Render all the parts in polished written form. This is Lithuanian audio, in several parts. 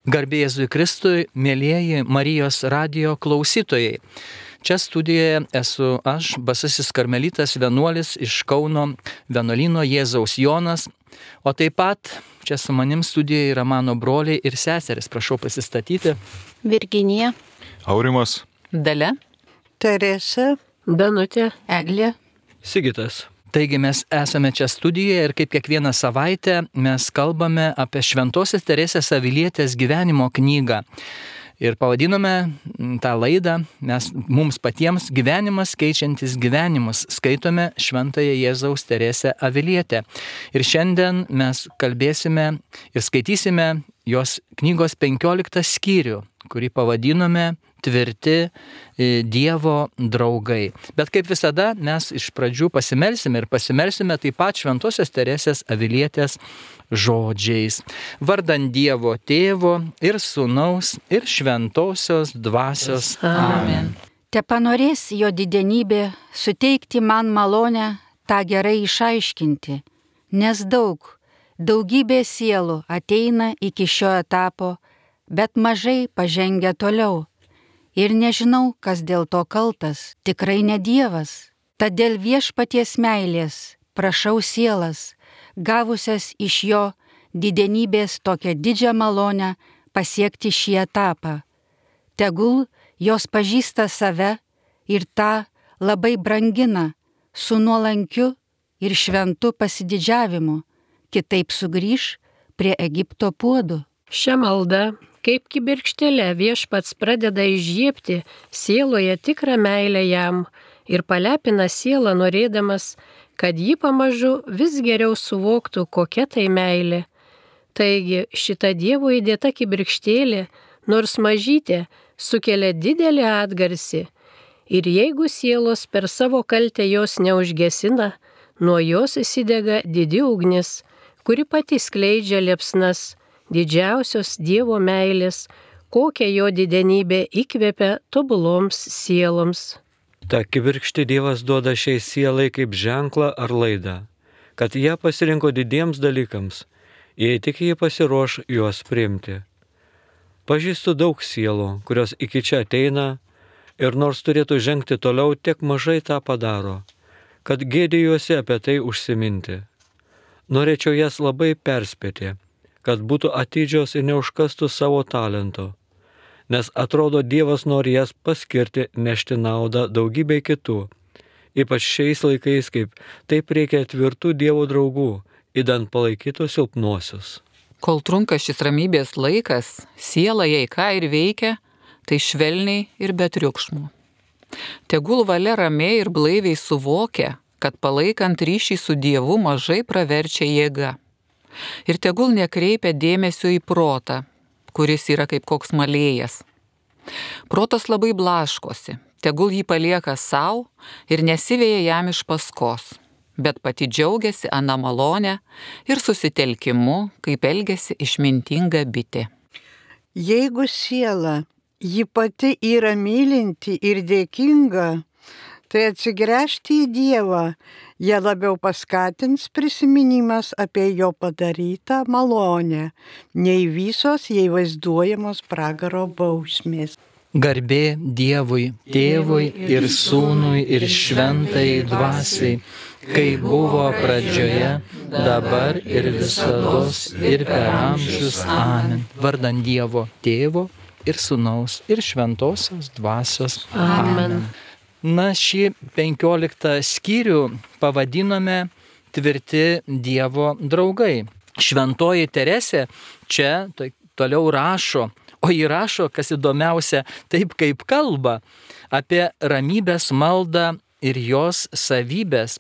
Garbė Jėzui Kristui, mėlyjeji Marijos radijo klausytojai. Čia studijoje esu aš, basasis karmelitas vienuolis iš Kauno vienuolyno Jėzaus Jonas, o taip pat čia su manim studijoje yra mano broliai ir seseris. Prašau pasistatyti. Virginija, Aurimas, Dalia, Teresa, Danutė, Eglė, Sigitas. Taigi mes esame čia studijoje ir kaip kiekvieną savaitę mes kalbame apie Šventosios Teresės Avilietės gyvenimo knygą. Ir pavadinome tą laidą, mums patiems gyvenimas keičiantis gyvenimus, skaitome Šventąją Jėzaus Teresę Avilietę. Ir šiandien mes kalbėsime ir skaitysime jos knygos 15 skyrių, kurį pavadinome Tvirti Dievo draugai. Bet kaip visada mes iš pradžių pasimelsime taip pat Šventosios Teresės Avilietės žodžiais. Vardan Dievo Tėvo ir Sūnaus ir Šventosios Dvasios. Amen. Tepanorės jo didenybė suteikti man malonę tą gerai išaiškinti, nes daugybė sielų ateina iki šio etapo, bet mažai pažengia toliau. Ir nežinau, kas dėl to kaltas, tikrai ne Dievas. Tad dėl viešpaties meilės prašau sielas, gavusias iš jo didenybės tokią didžią malonę pasiekti šį etapą. Tegul jos pažįsta save ir tą labai brangina su nuolankiu ir šventu pasididžiavimu, kitaip sugrįš prie Egipto puodų. Šią maldą, kaip kibirkštėle, viešpats pradeda įžiebti sieloje tikrą meilę jam ir palepina sielą norėdamas, kad ji pamažu vis geriau suvoktų, kokia tai meilė. Taigi šita Dievo įdėta kibirkštėlė, nors mažytė, sukelia didelį atgarsį. Ir jeigu sielos per savo kaltę jos neužgesina, nuo jos įsidega didi ugnis, kuri pati skleidžia liepsnas, didžiausios Dievo meilės, kokią jo didenybė įkvepia tobuloms sieloms. Ta kibirkštį Dievas duoda šiai sielai kaip ženklą ar laidą, kad ją pasirinko didiems dalykams, jei tik jie pasiruoš juos priimti. Pažįstu daug sielų, kurios iki čia ateina ir nors turėtų žengti toliau, tiek mažai tą padaro, kad gėdijuosi apie tai užsiminti. Norėčiau jas labai perspėti, kad būtų atidžios ir neužkastų savo talento, nes atrodo Dievas nori jas paskirti nešti naudą daugybei kitų, ypač šiais laikais, kaip taip reikia tvirtų Dievo draugų, idant palaikytų silpnuosius. Kol trunka šis ramybės laikas, siela jei ką ir veikia, tai švelniai ir be triukšmų. Tegul valia ramiai ir blaiviai suvokia, kad palaikant ryšį su Dievu mažai praverčia jėga. Ir tegul nekreipia dėmesio į protą, kuris yra kaip koks malėjas. Protas labai blaškosi, tegul jį palieka savo ir nesiveja jam iš paskos, bet pati džiaugiasi aną malonę ir susitelkimu, kaip elgiasi išmintinga bitė. Jeigu siela, ji pati yra mylinti ir dėkinga, tai atsigręžti į Dievą, ją labiau paskatins prisiminimas apie jo padarytą malonę, nei visos jai vaizduojamos pragaro bausmės. Garbė Dievui, Tėvui ir Sūnui ir Šventajai Dvasiai, kaip buvo pradžioje, dabar ir visados ir per amžius. Amen. Vardan Dievo Tėvo ir Sūnaus ir Šventosios Dvasios. Amen. Na, šį 15 skyrių pavadinome Tvirti Dievo draugai. Šventoji Teresė čia toliau rašo, o ji rašo, kas įdomiausia, taip kaip kalba, apie ramybės maldą ir jos savybės.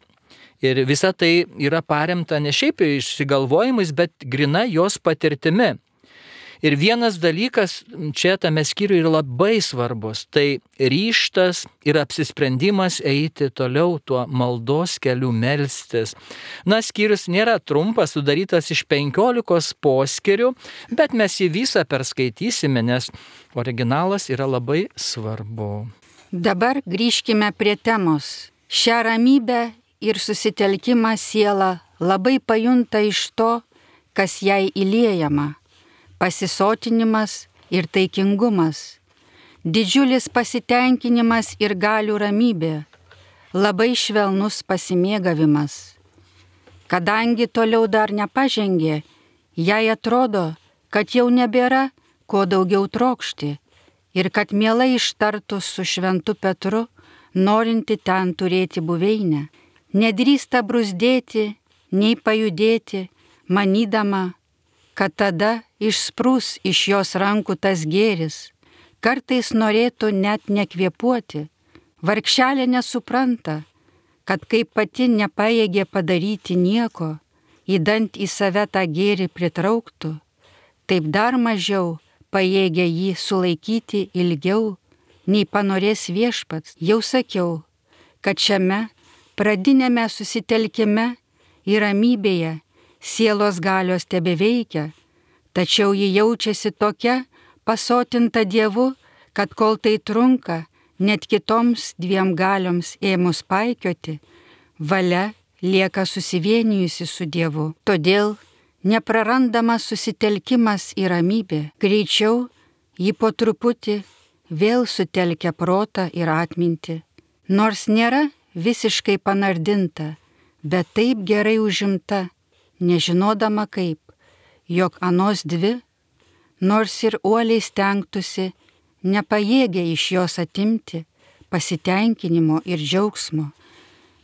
Ir visa tai yra paremta ne šiaip išsigalvojimais, bet grina jos patirtimi. Ir vienas dalykas čia tame skyriuje yra labai svarbus, tai ryžtas ir apsisprendimas eiti toliau tuo maldos keliu melstis. Na, skyrius nėra trumpas, sudarytas iš 15 poskyrių, bet mes jį visą perskaitysime, nes originalas yra labai svarbu. Dabar grįžkime prie temos. Šią ramybę ir susitelkimą siela labai pajunta iš to, kas jai įliejama. pasisotinimas ir taikingumas, didžiulis pasitenkinimas ir galių ramybė, labai švelnus pasimėgavimas. Kadangi toliau dar nepažengė, jai atrodo, kad jau nebėra ko daugiau trokšti ir kad mielai ištartų su šventu Petru, norinti ten turėti buveinę, nedrįsta brūzdėti, nei pajudėti, manydama, kad tada išsprūs iš jos rankų tas gėris, kartais norėtų net nekvėpuoti. Vargšelė nesupranta, kad kaip pati nepajėgė padaryti nieko, įdant į save tą gėrį pritrauktų, taip dar mažiau pajėgia jį sulaikyti ilgiau, nei panorės Viešpats. Jau sakiau, kad šiame pradinėme susitelkime ir ramybėje sielos galios tebeveikia, tačiau ji jaučiasi tokia pasotinta Dievu, kad kol tai trunka, net kitoms dviem galioms ėmus paikioti, valia lieka susivienijusi su Dievu. Todėl neprarandamas susitelkimas į ramybę, greičiau ji po truputį vėl sutelkia protą ir atmintį. Nors nėra visiškai panardinta, bet taip gerai užimta, nežinodama kaip, jog anos dvi, nors ir uoliai stengtųsi, nepajėgia iš jos atimti pasitenkinimo ir džiaugsmo.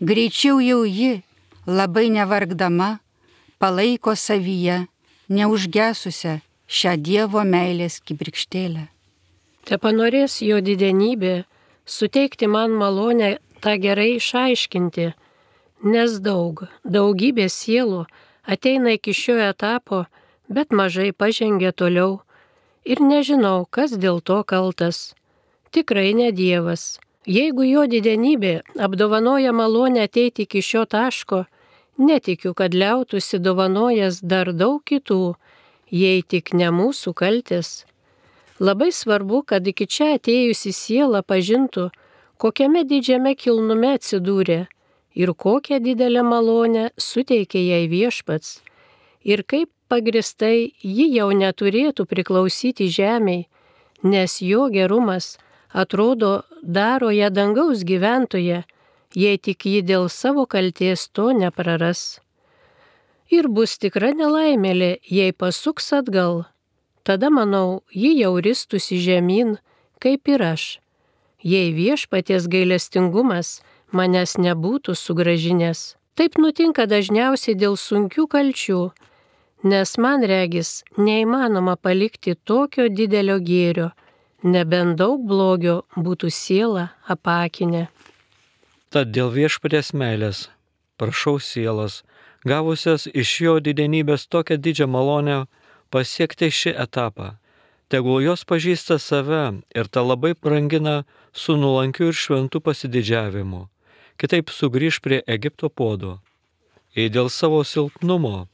Greičiau jau ji, labai nevargdama, palaiko savyje neužgesusią šią Dievo meilės kibirkštėlę. Te panorės jo didenybė suteikti man malonę tą gerai išaiškinti, nes daugybė sielų ateina iki šio etapo, bet mažai pažengia toliau ir nežinau, kas dėl to kaltas. Tikrai ne Dievas. Jeigu jo didenybė apdovanoja malonę ateiti iki šio taško, netikiu, kad liautųsi dovanojęs dar daug kitų, jei tik ne mūsų kaltės. Labai svarbu, kad iki čia atėjusi siela pažintų, kokiame didžiame kilnume atsidūrė ir kokią didelę malonę suteikė jai Viešpats ir kaip pagristai ji jau neturėtų priklausyti žemei, nes jo gerumas atrodo daro ją dangaus gyventoje, jei tik ji dėl savo kalties to nepraras. Ir bus tikra nelaimėlė, jei pasuks atgal. Tada, manau, ji jau ristųsi žemyn, kaip ir aš, jei Viešpaties gailestingumas manęs nebūtų sugrąžinęs. Taip nutinka dažniausiai dėl sunkių kalčių, nes man regis neįmanoma palikti tokio didelio gėrio, nebent daug blogio būtų siela apakinę. Tad dėl Viešpaties meilės prašau sielas, gavusias iš jo didenybės tokią didžią malonę, pasiekti šį etapą. Tegul jos pažįsta save ir tą labai brangina su nuolankiu ir šventu pasididžiavimu. Kitaip sugrįž prie Egipto puodo. Jei dėl savo silpnumo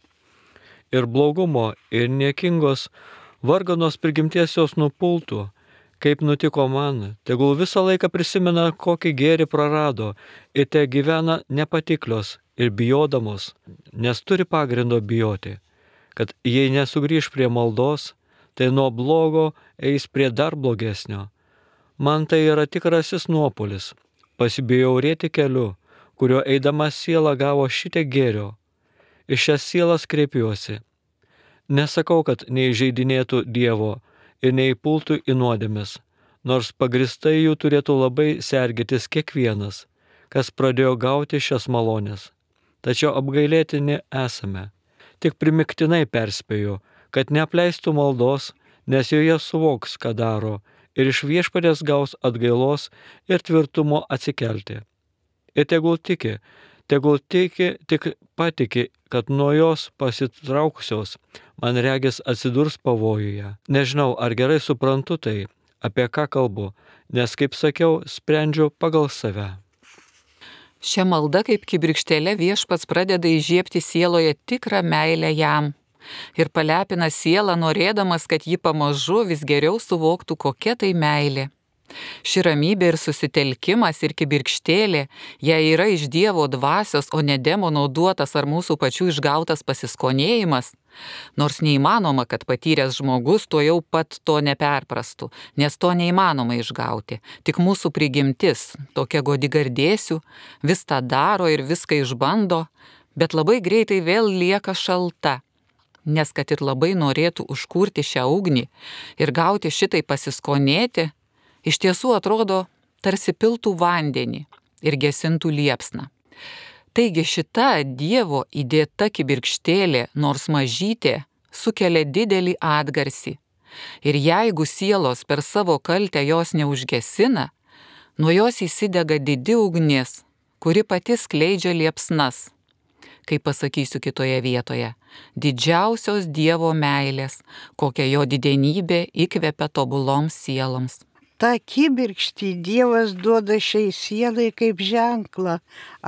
ir blogumo ir niekingos varganos prigimties jos nupultų, kaip nutiko man, tegul visą laiką prisimena, kokį gėrį prarado ir te gyvena nepatiklios ir bijodamos, nes turi pagrindo bijoti, kad jei nesugrįž prie maldos, tai nuo blogo eis prie dar blogesnio. Man tai yra tikrasis nuopuolis, pasibjaurėti keliu, kurio eidama siela gavo šitiek gėrio. Iš šias sielas kreipiuosi. Nesakau, kad neįžeidinėtų Dievo ir neįpultų į nuodėmes, nors pagristai jų turėtų labai sergėtis kiekvienas, kas pradėjo gauti šias malonės. Tačiau apgailėtini esame. Tik primiktinai perspėju, kad neapleistų maldos, nes joje suvoks, ką daro, ir iš Viešpaties gaus atgailos ir tvirtumo atsikelti. Ir tegul tiki, tik patiki, kad nuo jos pasitraukusios, man regis atsidurs pavojuje. Nežinau, ar gerai suprantu tai, apie ką kalbu, nes, kaip sakiau, sprendžiu pagal save. Šia malda kaip kibirkštėlė Viešpats pradeda įžiebti sieloje tikrą meilę jam ir palepina sielą, norėdamas, kad ji pamažu vis geriau suvoktų, kokia tai meilė. Ši ramybė ir susitelkimas ir kibirkštėlė, jei yra iš Dievo dvasios, o ne demono duotas ar mūsų pačių išgautas pasiskonėjimas, Nors neįmanoma, kad patyręs žmogus tuo jau pat to neperprastų, nes to neįmanoma išgauti. Tik mūsų prigimtis, tokia godi gardėsių, vis tą daro ir viską išbando, bet labai greitai vėl lieka šalta. Nes kad ir labai norėtų užkurti šią ugnį ir gauti šitai pasiskonėti, iš tiesų atrodo tarsi piltų vandenį ir gesintų liepsną. Taigi šita Dievo įdėta kibirkštėlė, nors mažytė, sukelia didelį atgarsį. Ir jeigu sielos per savo kaltę jos neužgesina, nuo jos įsidega didi ugnis, kuri pati skleidžia liepsnas. Kaip pasakysiu kitoje vietoje, didžiausios Dievo meilės, kokia jo didenybė įkvepia tobuloms sieloms. Ta kibirkštį Dievas duoda šiai sielai kaip ženklą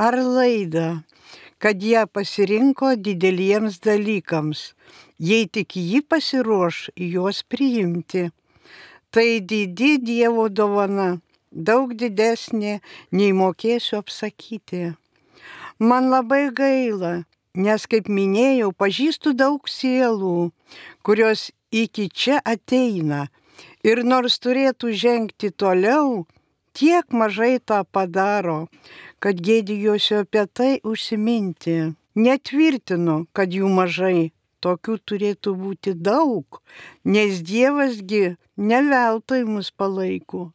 ar laidą, kad ją pasirinko dideliems dalykams, jei tik ji pasiruoš juos priimti. Tai didi Dievo dovana, daug didesnė, nei mokėsiu apsakyti. Man labai gaila, nes, kaip minėjau, pažįstu daug sielų, kurios iki čia ateina. Ir nors turėtų žengti toliau, tiek mažai tą padaro, kad gėdijuosiu apie tai užsiminti. Netvirtinu, kad jų mažai, tokių turėtų būti daug, nes Dievasgi ne veltui mus palaiko.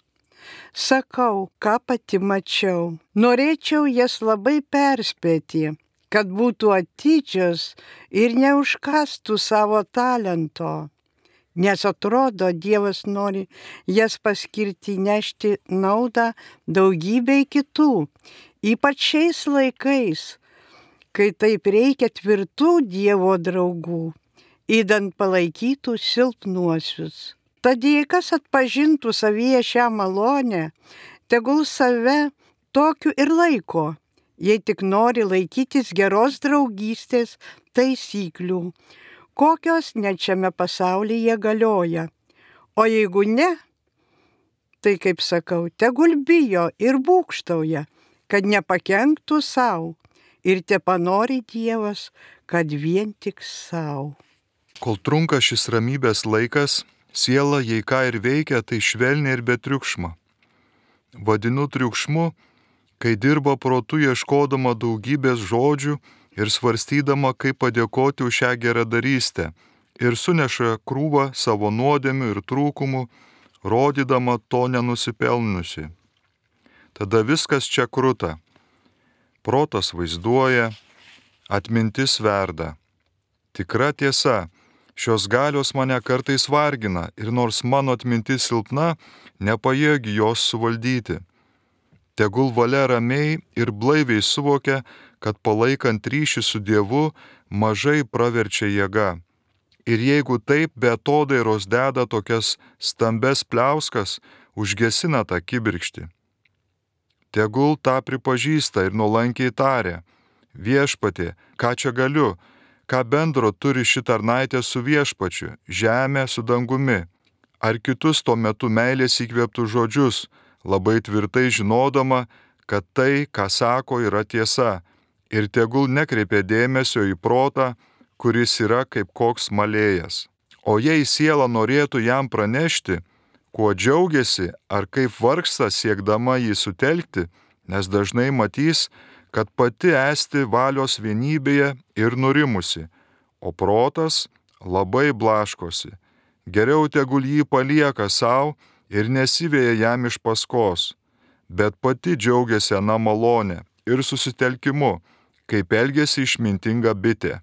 Sakau, ką pati mačiau. Norėčiau jas labai perspėti, kad būtų atidžios ir neužkastų savo talento. Nes atrodo, Dievas nori jas paskirti nešti naudą daugybei kitų, ypač šiais laikais, kai taip reikia tvirtų Dievo draugų, idant palaikytų silpnuosius. Tad jei kas atpažintų savyje šią malonę, tegul save tokiu ir laiko, jei tik nori laikytis geros draugystės taisyklių, kokios net šiame pasaulyje galioja. O jeigu ne, tai, kaip sakau, tegul bijo ir būgštauja, kad nepakenktų savo ir tepanori Dievas, kad vien tik savo. Kol trunka šis ramybės laikas, siela, jei ką ir veikia, tai švelniai ir be triukšmo. Vadinu triukšmu, kai dirba protu ieškodama daugybės žodžių ir svarstydama, kaip padėkoti už šią geradarystę, ir suneša krūvą savo nuodėmių ir trūkumų, rodydama to nenusipelnusi. Tada viskas čia kruta. Protas vaizduoja, atmintis verda. Tikra tiesa, šios galios mane kartais vargina ir nors mano atmintis silpna, nepajėgi jos suvaldyti. Tegul valia ramiai ir blaiviai suvokia, kad palaikant ryšį su Dievu mažai praverčia jėga. Ir jeigu taip be atodairos deda tokias stambes pliauskas, užgesina tą kibirkštį. Tegul tą pripažįsta ir nuolankiai taria: Viešpatie, ką čia galiu, ką bendro turi ši tarnaitė su viešpačiu, žemė su dangumi, ar kitus tuo metu meilės įkvėptų žodžius, labai tvirtai žinodama, kad tai, ką sako, yra tiesa, ir tegul nekreipia dėmesio į protą, kuris yra kaip koks malėjas. O jei siela norėtų jam pranešti, kuo džiaugiasi ar kaip vargsta siekdama jį sutelkti, nes dažnai matys, kad pati esti valios vienybėje ir nurimusi, o protas labai blaškosi. Geriau tegul jį palieka savo ir nesiveja jam iš paskos, bet pati džiaugiasi ana malonė ir susitelkimu, kaip elgėsi išmintinga bitė.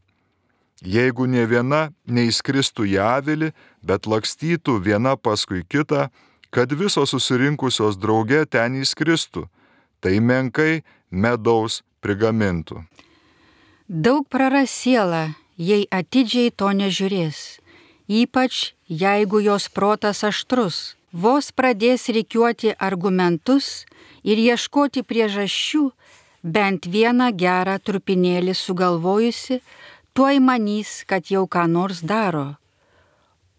Jeigu ne viena neįskristų į avilį, bet lakstytų viena paskui kitą, kad visos susirinkusios drauge ten įskristų, tai menkai medaus prigamintų. Daug praras siela, jei atidžiai to nežiūrės, ypač jeigu jos protas aštrus, vos pradės rikiuoti argumentus ir ieškoti priežasčių, bent vieną gerą trupinėlį sugalvojusi, tuoj manys, kad jau ką nors daro.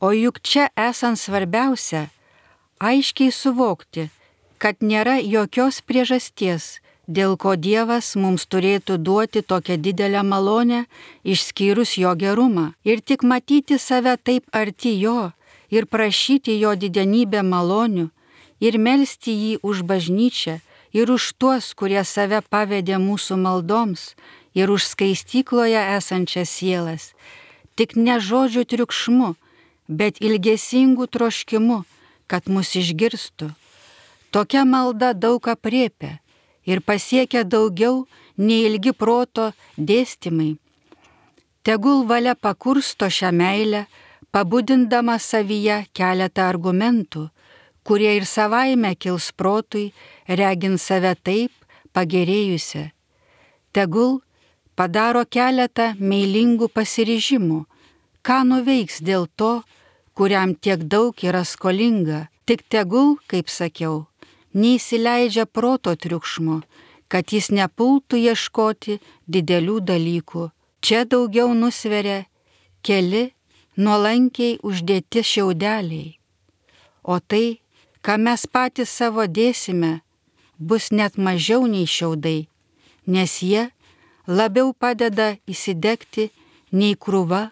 O juk čia esant svarbiausia, aiškiai suvokti, kad nėra jokios priežasties dėl ko Dievas mums turėtų duoti tokią didelę malonę, išskyrus jo gerumą. Ir tik matyti save taip arti jo ir prašyti jo didenybę malonių ir melsti jį už bažnyčią ir už tuos, kurie save pavedė mūsų maldoms ir už skaistykloje esančias sielas. Tik ne žodžių triukšmu, bet ilgesingų troškimu, kad mus išgirstų. Tokia malda daug aprėpia ir pasiekia daugiau nei ilgi proto dėstymai. Tegul valia pakursto šią meilę, pabudindama savyje keletą argumentų, kurie ir savaime kils protui, regint save taip pagerėjusią. Tegul padaro keletą meilingų pasiryžimų, ką nuveiks dėl to, kuriam tiek daug yra skolinga. Tik tegul, kaip sakiau, neįsileidžia proto triukšmo, kad jis nepultų ieškoti didelių dalykų. Čia daugiau nusveria keli nuolankiai uždėti šiaudeliai. O tai, ką mes patys savo dėsime, bus net mažiau nei šiaudai, nes jie labiau padeda įsidegti nei krūva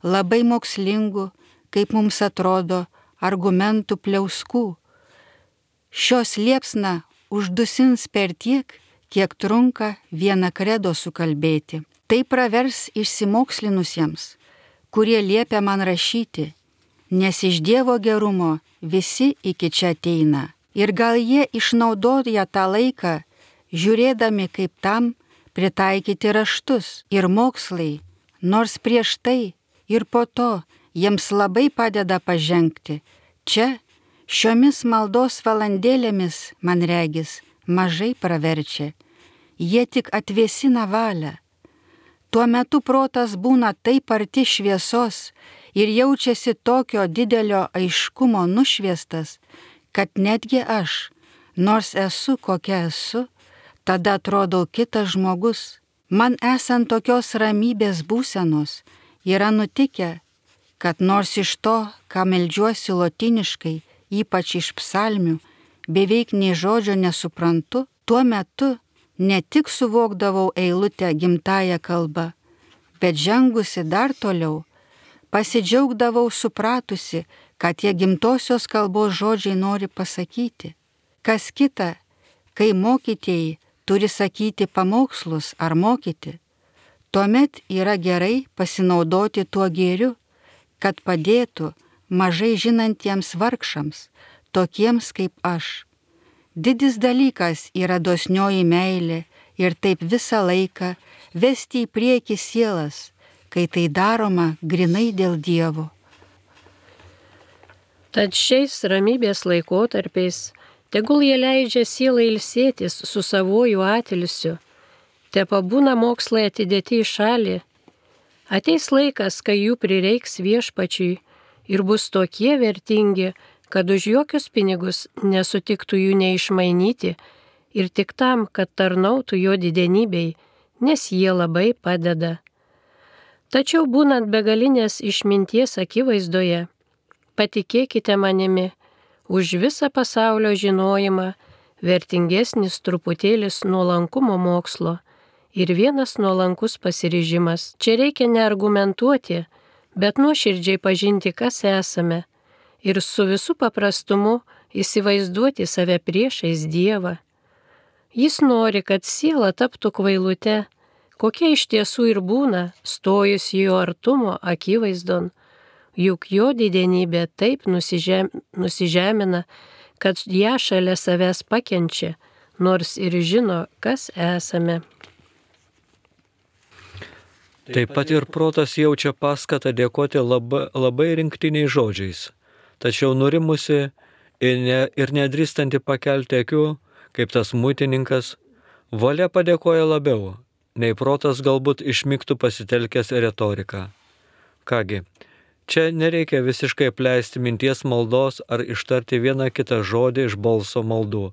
labai mokslingų, kaip mums atrodo, argumentų pliauskų. Šios liepsna uždusins per tiek, kiek trunka vieną kredo sukalbėti. Tai pravers išsimokslinusiems, kurie liepia man rašyti, nes iš Dievo gerumo visi iki čia ateina. Ir gal jie išnaudoja tą laiką, žiūrėdami, kaip tam pritaikyti raštus ir mokslai, nors prieš tai ir po to jiems labai padeda pažengti. Čia, šiomis maldos valandėlėmis, man regis, mažai praverčia. Jie tik atvėsina valią. Tuo metu protas būna taip arti šviesos ir jaučiasi tokio didelio aiškumo nušviestas, kad netgi aš, nors esu kokia esu, tada atrodau kitas žmogus. Man esant tokios ramybės būsenos, yra nutikę, kad nors iš to, ką meldžiuosi lotyniškai, ypač iš psalmių, beveik nei žodžio nesuprantu, tuo metu ne tik suvokdavau eilutę gimtąją kalbą, bet žengusi dar toliau, pasidžiaugdavau supratusi, kad tie gimtosios kalbos žodžiai nori pasakyti. Kas kita, kai mokytieji turi sakyti pamokslus ar mokyti, tuomet yra gerai pasinaudoti tuo gėriu, kad padėtų mažai žinantiems vargšams, tokiems kaip aš. Didis dalykas yra dosnioji meilė ir taip visą laiką vesti į priekį sielas, kai tai daroma grinai dėl Dievo. Tad šiais ramybės laikotarpiais tegul jie leidžia sielai ilsėtis su savuoju atilsiu, te pabūna mokslai atidėti į šalį. Ateis laikas, kai jų prireiks Viešpačiui ir bus tokie vertingi, kad už jokius pinigus nesutiktų jų neišmainyti ir tik tam, kad tarnautų jo didenybei, nes jie labai padeda. Tačiau būnant begalinės išminties akivaizdoje, patikėkite manimi, už visą pasaulio žinojimą vertingesnis truputėlis nuolankumo mokslo ir vienas nuolankus pasiryžimas. Čia reikia neargumentuoti, bet nuoširdžiai pažinti, kas esame ir su visu paprastumu įsivaizduoti save priešais Dievą. Jis nori, kad siela taptų kvailute, kokia iš tiesų ir būna, stojus jo artumo akivaizdon, juk jo didenybė taip nusižemina, kad ją šalia savęs pakenčia, nors ir žino, kas esame. Taip pat ir protas jaučia paskatą dėkoti labai rinktiniais žodžiais, tačiau nurimusi ir nedrįstanti pakelti akių, kaip tas muitininkas, valia padėkoja labiau, nei protas galbūt išmigtų pasitelkęs retoriką. Kągi, čia nereikia visiškai apleisti minties maldos ar ištarti vieną kitą žodį iš balso maldų,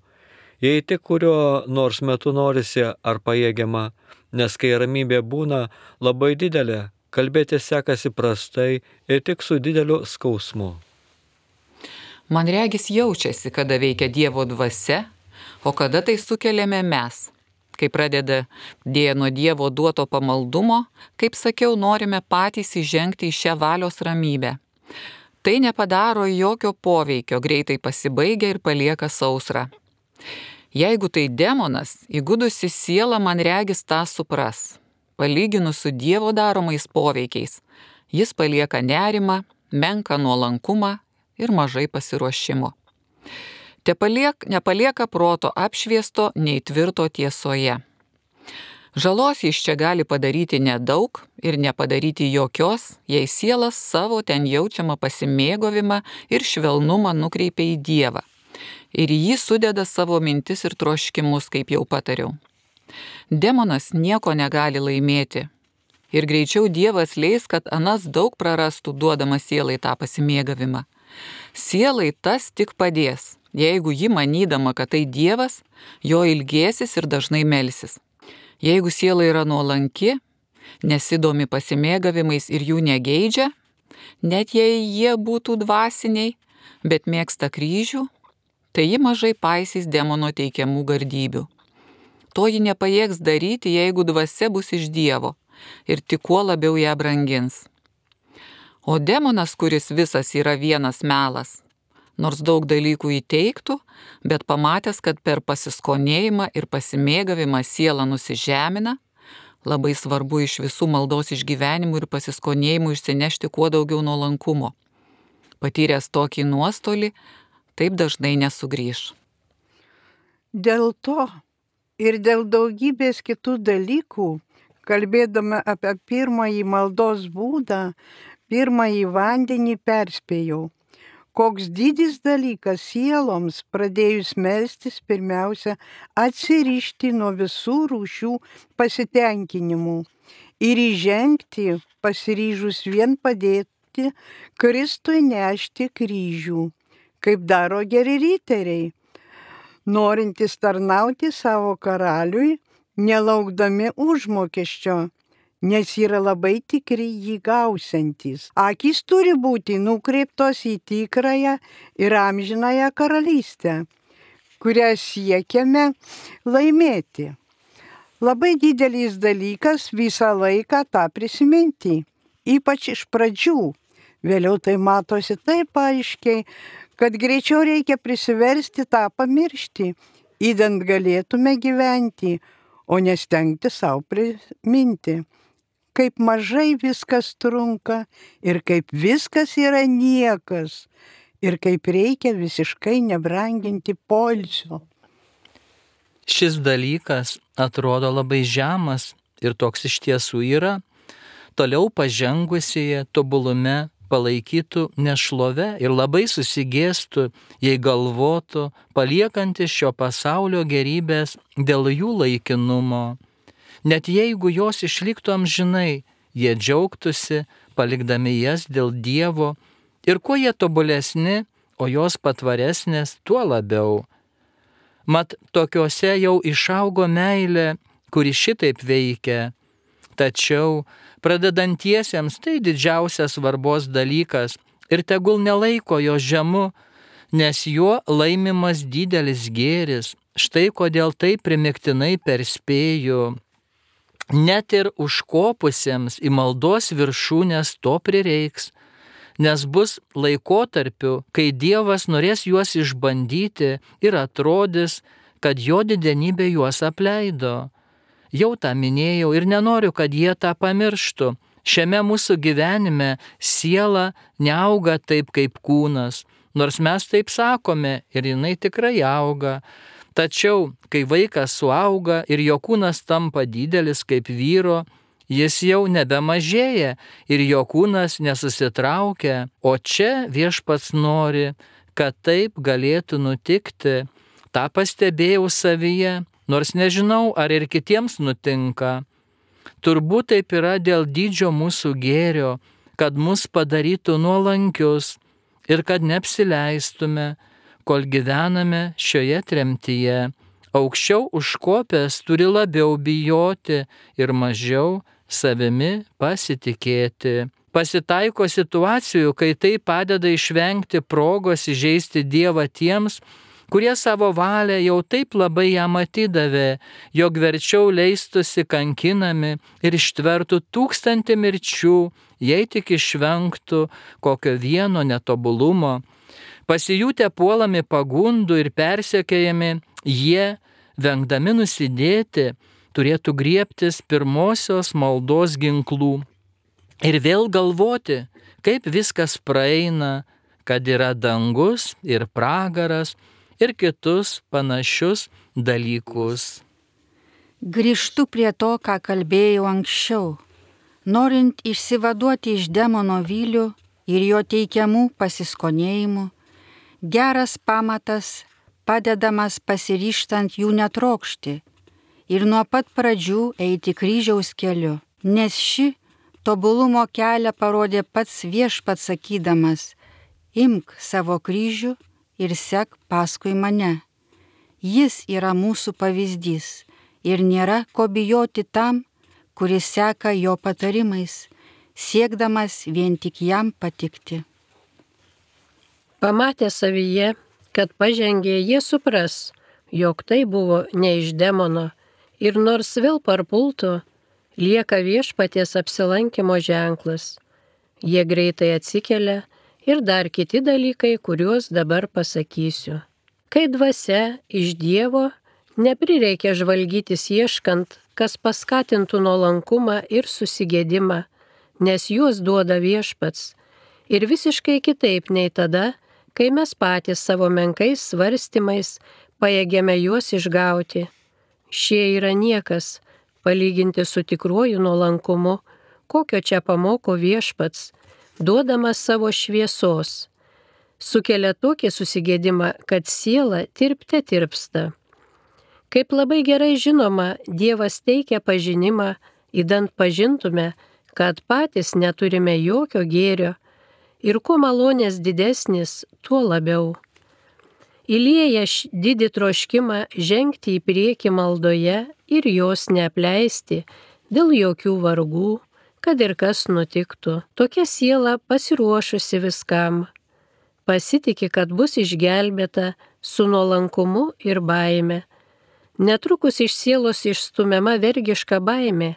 jei tik kurio nors metu norisi ar pajėgiama, nes kai ramybė būna labai didelė, kalbėti sekasi prastai ir tik su dideliu skausmu. Man regis jaučiasi, kada veikia Dievo dvasia, o kada tai sukeliame mes. Kai pradeda nuo Dievo duoto pamaldumo, kaip sakiau, norime patys įžengti į šią valios ramybę. Tai nepadaro jokio poveikio, greitai pasibaigia ir palieka sausrą. Jeigu tai demonas, įgudusi siela man regis tą supras. Palyginus su Dievo daromais poveikiais, jis palieka nerimą, menką nuolankumą ir mažai pasiruošimo. Nepalieka proto apšviesto, nei tvirto tiesoje. Žalos jis čia gali padaryti nedaug ir nepadaryti jokios, jei sielas savo ten jaučiamą pasimėgavimą ir švelnumą nukreipia į Dievą. Ir jį sudeda savo mintis ir troškimus, kaip jau patariau. Demonas nieko negali laimėti. Ir greičiau Dievas leis, kad anas daug prarastų, duodamas sielai tą pasimėgavimą. Sielai tas tik padės, jeigu ji manydama, kad tai Dievas, jo ilgėsis ir dažnai melsis. Jeigu siela yra nuolanki, nesidomi pasimėgavimais ir jų negeidžia, net jei jie būtų dvasiniai, bet mėgsta kryžių, tai ji mažai paisys demono teikiamų gardybių. To ji nepajėgs daryti, jeigu dvasia bus iš Dievo ir tik kuo labiau ją brangins. O demonas, kuris visas yra vienas melas, nors daug dalykų įteiktų, bet pamatęs, kad per pasiskonėjimą ir pasimėgavimą siela nusižemina, labai svarbu iš visų maldos išgyvenimų ir pasiskonėjimų išsinešti kuo daugiau nuolankumo. Patyręs tokį nuostolį, taip dažnai nesugrįš. Dėl to ir dėl daugybės kitų dalykų, kalbėdama apie pirmąjį maldos būdą, pirmąjį vandenį perspėjau. Koks didis dalykas sieloms pradėjus melstis pirmiausia atsirišti nuo visų rūšių pasitenkinimų ir įžengti pasiryžus vien padėti Kristui nešti kryžių, kaip daro geri riteriai, norintys tarnauti savo karaliui, nelaukdami užmokesčio, nes yra labai tikri jį gausiantys. Akys turi būti nukreiptos į tikrąją ir amžinąją karalystę, kurią siekiame laimėti. Labai didelis dalykas visą laiką tą prisiminti, ypač iš pradžių. Vėliau tai matosi taip aiškiai, kad greičiau reikia prisiversti tą pamiršti, idant galėtume gyventi, o nestengti savo priminti. Kaip mažai viskas trunka ir kaip viskas yra niekas ir kaip reikia visiškai nebranginti poilsio. Šis dalykas atrodo labai žemas ir toks iš tiesų yra, toliau pažengusieji tobulume palaikytų nešlove ir labai susigėstų, jei galvotų, paliekantis šio pasaulio gerybės dėl jų laikinumo. Net jeigu jos išliktų amžinai, jie džiaugtųsi, palikdami jas dėl Dievo, ir kuo jie tobulesni, o jos patvaresnės, tuo labiau. Mat tokiuose jau išaugo meilė, kuri šitaip veikia. Tačiau pradedantiesiems tai didžiausias svarbos dalykas ir tegul nelaiko jo žemu, nes juo laimimas didelis gėris. Štai kodėl tai primiktinai perspėju. Net ir užkopusiems į maldos viršūnės to prireiks, nes bus laikotarpių, kai Dievas norės juos išbandyti ir atrodys, kad jo didenybė juos apleido. Jau tą minėjau ir nenoriu, kad jie tą pamirštų. Šiame mūsų gyvenime siela neauga taip kaip kūnas, nors mes taip sakome ir jinai tikrai auga. Tačiau, kai vaikas suauga ir jo kūnas tampa didelis kaip vyro, jis jau nebemažėja ir jo kūnas nesusitraukia, o čia Viešpats nori, kad taip galėtų nutikti. Ta pastebėjau savyje, nors nežinau, ar ir kitiems nutinka. Turbūt taip yra dėl dydžio mūsų gėrio, kad mus padarytų nuolankius ir kad neapsileistume, kol gyvename šioje tremtyje. Aukščiau užkopęs turi labiau bijoti ir mažiau savimi pasitikėti. Pasitaiko situacijų, kai tai padeda išvengti progos įžeisti Dievą tiems, kurie savo valią jau taip labai jam atidavė, jog verčiau leistusi kankinami ir ištvertų 1000 mirčių, jei tik išvengtų kokio vieno netobulumo. Pasijutę puolami pagundų ir persekiojami, jie, vengdami nusidėti, turėtų griebtis pirmosios maldos ginklų ir vėl galvoti, kaip viskas praeina, kad yra dangus ir pragaras ir kitus panašius dalykus. Grįžtu prie to, ką kalbėjau anksčiau. Norint išsivaduoti iš demono vylių ir jo teikiamų pasiskonėjimų, geras pamatas padedamas pasiryžtant jų netrokšti ir nuo pat pradžių eiti kryžiaus keliu, nes ši tobulumo kelią parodė pats Viešpats sakydamas: imk savo kryžių ir sek paskui mane. Jis yra mūsų pavyzdys ir nėra ko bijoti tam, kuris seka jo patarimais, siekdamas vien tik jam patikti. Pamatę savyje, kad pažengė, jie supras, jog tai buvo ne iš demono ir nors vėl parpultų, lieka Viešpaties apsilankimo ženklas. Jie greitai atsikelia ir dar kiti dalykai, kuriuos dabar pasakysiu. Kai dvasia iš Dievo, neprireikia žvalgytis ieškant, kas paskatintų nuolankumą ir susigėdimą, nes juos duoda Viešpats. Ir visiškai kitaip nei tada, kai mes patys savo menkais svarstymais pajėgėme juos išgauti. Šie yra niekas, palyginti su tikruoju nuolankumu, kokio čia pamoko Viešpats, duodamas savo šviesos. Sukelia tokį susigėdimą, kad siela tirpte tirpsta. Kaip labai gerai žinoma, Dievas teikia pažinimą, idant pažintume, kad patys neturime jokio gėrio ir kuo malonės didesnis, tuo labiau. Įlieja didį troškimą žengti į priekį maldoje ir jos neapleisti dėl jokių vargų, kad ir kas nutiktų. Tokia siela pasiruošusi viskam. Pasitiki, kad bus išgelbėta su nuolankumu ir baime. Netrukus iš sielos išstumiama vergiška baimė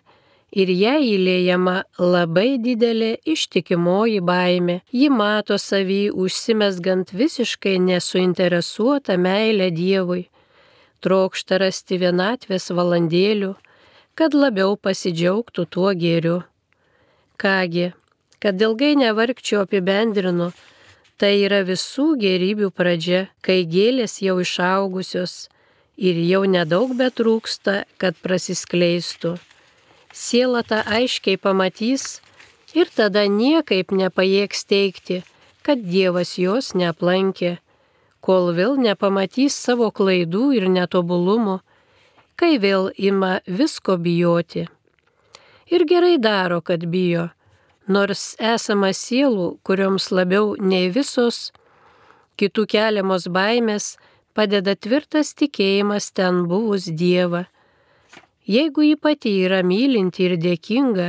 ir jai įliejama labai didelė ištikimoji baimė. Ji mato savį užsimesgant visiškai nesuinteresuotą meilę Dievui, trokšta rasti vienatvės valandėlių, kad labiau pasidžiaugtų tuo gėriu. Kągi, kad ilgai nevargčiau apibendrinu, tai yra visų gėrybių pradžia, kai gėlės jau išaugusios ir jau nedaug betrūksta, kad prasiskleistų. Siela tą aiškiai pamatys ir tada niekaip nepajėgs teigti, kad Dievas jos neaplankė, kol vėl nepamatys savo klaidų ir netobulumų, kai vėl ima visko bijoti. Ir gerai daro, kad bijo, nors esama sielų, kurioms labiau nei visos kitų keliamos baimės padeda tvirtas tikėjimas ten buvus Dievą. Jeigu ji pati yra mylinti ir dėkinga,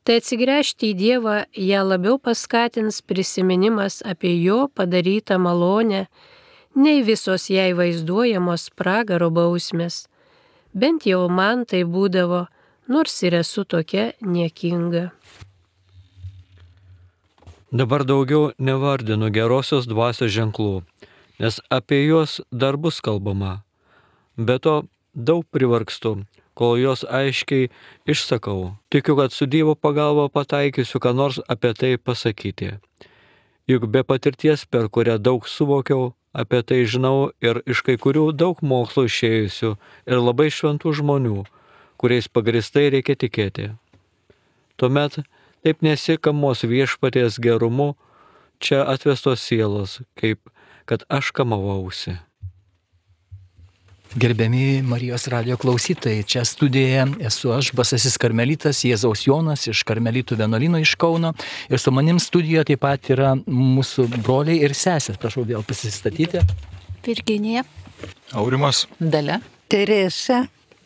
tai atsigręžti į Dievą ją labiau paskatins prisiminimas apie jo padarytą malonę, nei visos jai vaizduojamos pragaro bausmės. Bent jau man tai būdavo, nors ir esu tokia niekinga. Dabar daugiau nevardinu gerosios dvasios ženklų, nes apie juos dar bus kalbama. Be to daug privargstu, kol jos aiškiai išsakau. Tikiu, kad su Dievo pagalba pataikysiu, ką nors apie tai pasakyti. Juk be patirties, per kurią daug suvokiau, apie tai žinau ir iš kai kurių daug mokslo išėjusių ir labai šventų žmonių, kuriais pagristai reikia tikėti. Tuomet taip nesikamos Viešpaties gerumu čia atvestos sielos, kaip kad aš kamavausi. Gerbiami Marijos radijo klausytojai, čia studijoje esu aš, Basasis karmelitas Jėzaus Jonas iš Karmelitų vienuolyno iš Kauno ir su manim studijoje taip pat yra mūsų broliai ir sesės. Prašau vėl pasistatyti. Virginija, Aurimas, Dalia, Teresa,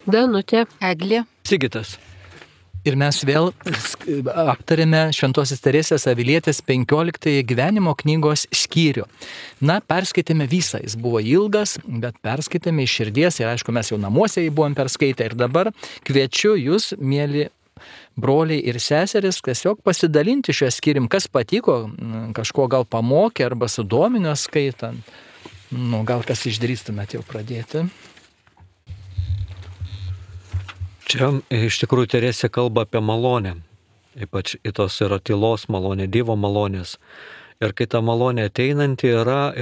Danutė, Eglė. Sigitas. Ir mes vėl aptarėme Šventosios Teresės Avilietės 15 gyvenimo knygos skyrių. Na, perskaitėme visą, jis buvo ilgas, bet perskaitėme iš širdies ir aišku, mes jau namuose jį buvom perskaitę ir dabar kviečiu jūs, mėly broliai ir seseris, tiesiog pasidalinti šią skyrim, kas patiko, kažko gal pamokė arba sudomino skaitant. Nu, gal kas išdrįstumėt jau pradėti. Čia iš tikrųjų Teresė kalba apie malonę, ypač tos yra tylos malonė, Dievo malonės. Ir kai ta malonė ateinanti yra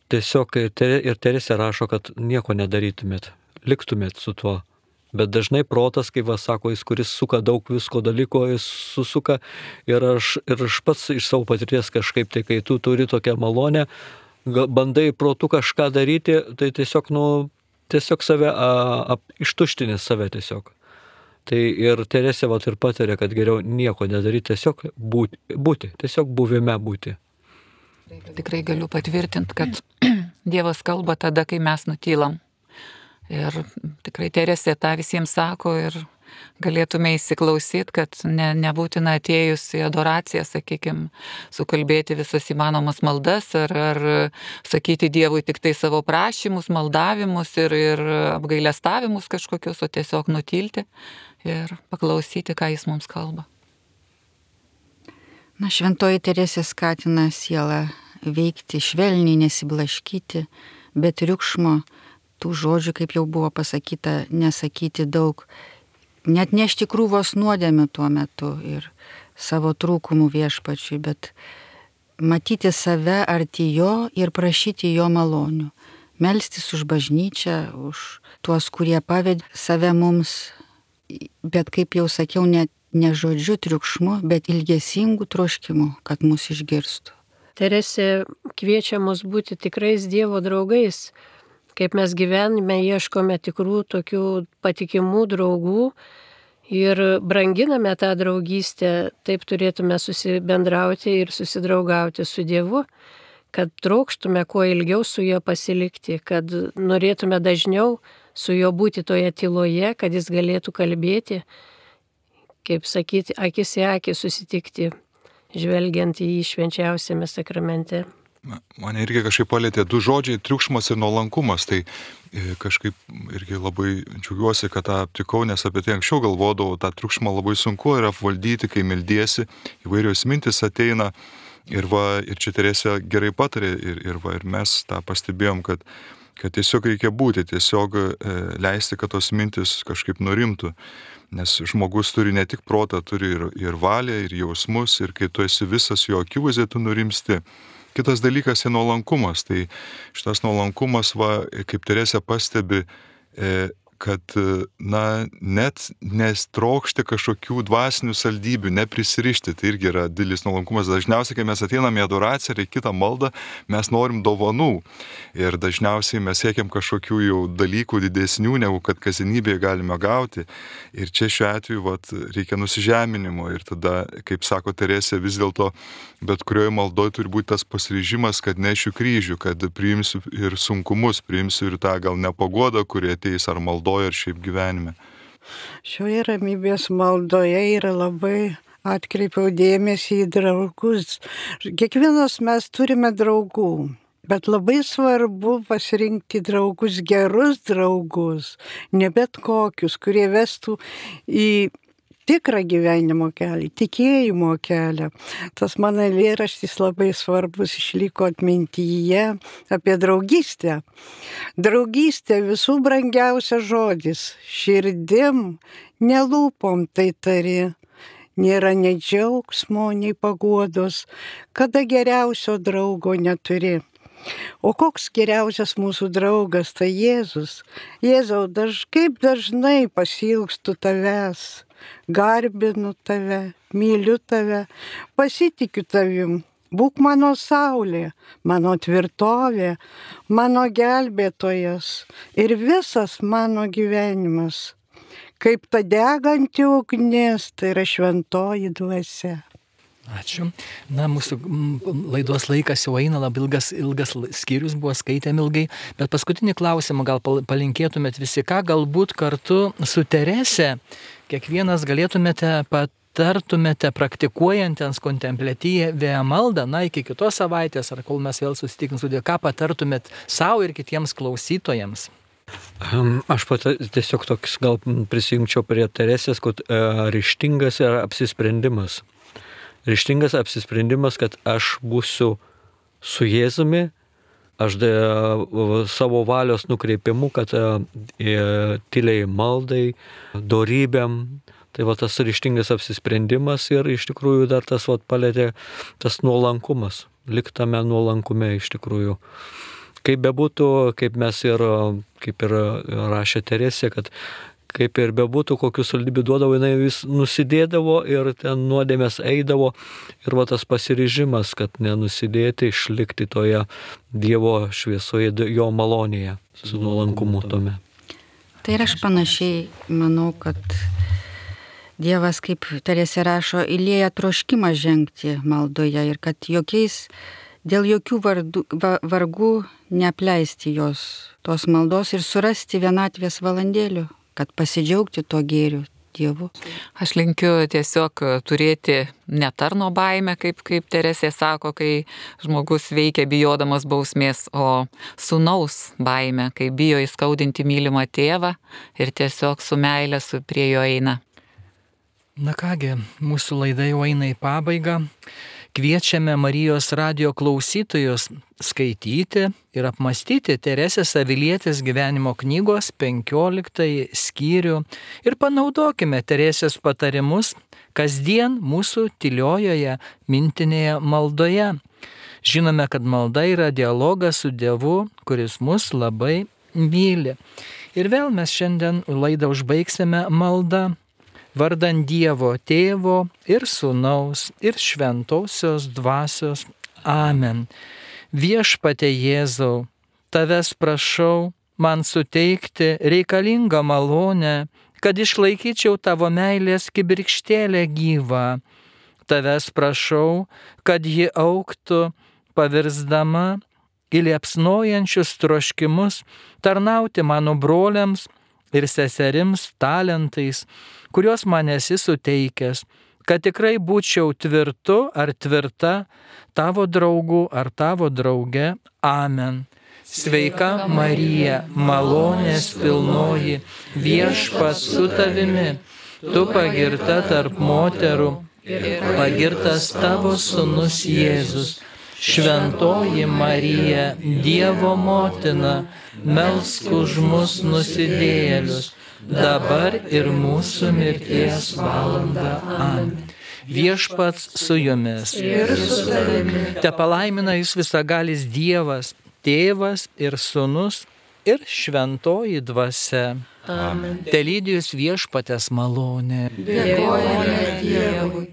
tiesiog, ir Teresė rašo, kad nieko nedarytumėt, liktumėt su tuo. Bet dažnai protas, kaip sako, jis, kuris suka daug visko dalyko, jis susuka ir aš pats iš savo patirties kažkaip, tai kai tu turi tokią malonę, bandai protu kažką daryti, tai tiesiog save ištuštini save tiesiog. Tai ir Teresė ir patarė, kad geriau nieko nedaryti, tiesiog būti, tiesiog buvime būti. Tikrai galiu patvirtinti, kad Dievas kalba tada, kai mes nutylam. Ir tikrai Teresė tą visiems sako ir galėtume įsiklausyti, kad nebūtina atėjus į adoraciją, sakykime, sukalbėti visas įmanomas maldas ar sakyti Dievui tik tai savo prašymus, maldavimus ir apgailestavimus kažkokius, o tiesiog nutilti ir paklausyti, ką jis mums kalba. Na, Šventoji Teresė skatina sielą veikti švelniai, nesiblaškyti, be triukšmo, tų žodžių, kaip jau buvo pasakyta, nesakyti daug, net nešti krūvos nuodėmių tuo metu ir savo trūkumų viešpačiui, bet matyti save arti jo ir prašyti jo malonių. Melstis už bažnyčią, už tuos, kurie pavedė save mums, bet kaip jau sakiau, ne žodžiu triukšmu, bet ilgesingų troškimų, kad mus išgirstų. Teresė kviečia mus būti tikrais Dievo draugais, kaip mes gyvenime ieškome tikrų tokių patikimų draugų ir branginame tą draugystę, taip turėtume susibendrauti ir susidraugauti su Dievu, kad trokštume kuo ilgiau su juo pasilikti, kad norėtume dažniau su juo būti toje tyloje, kad jis galėtų kalbėti, kaip sakyti, akis į akį susitikti, žvelgiant į jį švenčiausiame sakramente. Mane irgi kažkaip palėtė du žodžiai - triukšmas ir nuolankumas. Tai kažkaip irgi labai džiaugiuosi, kad tą aptikau, nes apie tai anksčiau galvodavau, tą triukšmą labai sunku yra apvaldyti, kai meldiesi, įvairios mintis ateina. Ir čia Teresė gerai patarė ir mes tą pastebėjom, kad tiesiog reikia būti, tiesiog leisti, kad tos mintis kažkaip nurimtų. Nes žmogus turi ne tik protą, turi ir valią, ir jausmus, ir kai tu esi visas jo akivaizdžiai, tu nurimsti. Kitas dalykas yra nuolankumas. Tai šitas nuolankumas, kaip Teresė pastebi, kad net nestrokšti kažkokių dvasinių saldybių, neprisirišti, tai irgi yra didelis nuolankumas. Dažniausiai, kai mes ateiname į adoraciją ir į kitą maldą, mes norim dovanų. Ir dažniausiai mes siekiam kažkokių jau dalykų didesnių, negu kad kasdienybėje galime gauti. Ir čia šiuo atveju reikia nusižeminimo. Ir tada, kaip sako Teresė, vis dėlto bet kurioje maldoje turi būti tas pasiryžimas, kad nešiu kryžių, kad priimsiu ir sunkumus, priimsiu ir tą gal nepagodą, kurie ateis ar maldoje, ar šiaip gyvenime. Šioje ramybės maldoje yra labai atkreipiau dėmesį į draugus. Kiekvienas mes turime draugų, bet labai svarbu pasirinkti draugus, gerus draugus, ne bet kokius, kurie vestų į tikrą gyvenimo kelią, tikėjimo kelią. Tas mano eilėraštis labai svarbus išliko atmintyje apie draugystę. Draugystė visų brangiausias žodis, širdim, nelūpom tai tari. Nėra nei džiaugsmo, nei paguodos, kada geriausio draugo neturi. O koks geriausias mūsų draugas, tai Jėzus. Jėzau, kaip dažnai pasiilgstu tavęs. Garbinu tave, myliu tave, pasitikiu tavim, būk mano saulė, mano tvirtovė, mano gelbėtojas ir visas mano gyvenimas. Kaip ta deganti ugnis, tai yra šventoji dvasia. Ačiū. Na, mūsų laidos laikas jau eina, labai ilgas skyrius buvo, skaitėm ilgai, bet paskutinį klausimą gal palinkėtumėt visi, ką galbūt kartu su Terese kiekvienas galėtumėte patartumėte praktikuojantiems kontempliatyvę maldą, iki kitos savaitės, ar kol mes vėl susitikim su Dievu, ką patartumėt savo ir kitiems klausytojams? Aš tiesiog toks gal prisijungčiau prie Teresės, kad ryžtingas yra apsisprendimas. Ryžtingas apsisprendimas, kad aš būsiu su Jėzumi, aš savo valios nukreipimu, kad tyliai maldai, dorybėm. Tai tas ryžtingas apsisprendimas ir iš tikrųjų dar tas palėtė tas nuolankumas, liktame nuolankume iš tikrųjų. Kaip bebūtų, kaip ir rašė Teresė, kad kaip ir bebūtų, kokių saldybių duodavo, jinai vis nusidėdavo ir ten nuodėmės eidavo. Ir tas pasiryžimas, kad nenusidėti, išlikti toje Dievo šviesoje, jo malonėje, su nuolankumu tome. Tai ir aš panašiai manau, kad Dievas, kaip Teresė rašo, įlieja troškimą žengti maldoje ir kad dėl jokių vargų neapleisti tos maldos ir surasti vienatvės valandėlių, kad pasidžiaugti to gėriu Dievu. Aš linkiu tiesiog turėti ne tarno baimę, kaip Teresė sako, kai žmogus veikia bijodamas bausmės, o sūnaus baimę, kai bijo įskaudinti mylimą tėvą ir tiesiog su meile prie jo eina. Na kągi, mūsų laida jau eina į pabaigą. Kviečiame Marijos radijo klausytojus skaityti ir apmastyti Teresės Avilietės gyvenimo knygos 15 skyrių ir panaudokime Teresės patarimus kasdien mūsų tyliojoje mintinėje maldoje. Žinome, kad malda yra dialogas su Dievu, kuris mus labai myli. Ir vėl mes šiandien laidą užbaigsime maldą. Vardan Dievo Tėvo ir Sūnaus ir Šventosios Dvasios. Amen. Viešpatie Jėzau, Tavęs prašau man suteikti reikalingą malonę, kad išlaikyčiau Tavo meilės kibirkštėlę gyvą. Tavęs prašau, kad ji augtų, pavirsdama į liepsnojančius troškimus tarnauti mano broliams ir seserims talentais, kuriuos man esi suteikęs, kad tikrai būčiau tvirtu ar tvirta Tavo draugų ar Tavo drauge. Amen. Sveika Marija, malonės pilnoji, Viešpats su Tavimi, Tu pagirta tarp moterų, pagirtas Tavo sūnus Jėzus. Šventoji Marija, Dievo motina, melsk už mus nusidėjėlius, dabar ir mūsų mirties valanda. Amen. Viešpats su jumis. Ir su tavimi. Tepalaimina jus visagalis Dievas, Tėvas ir Sūnus ir Šventoji Dvasia. Amen. Telydi jus Viešpaties malonė. Dėkojame Dievui.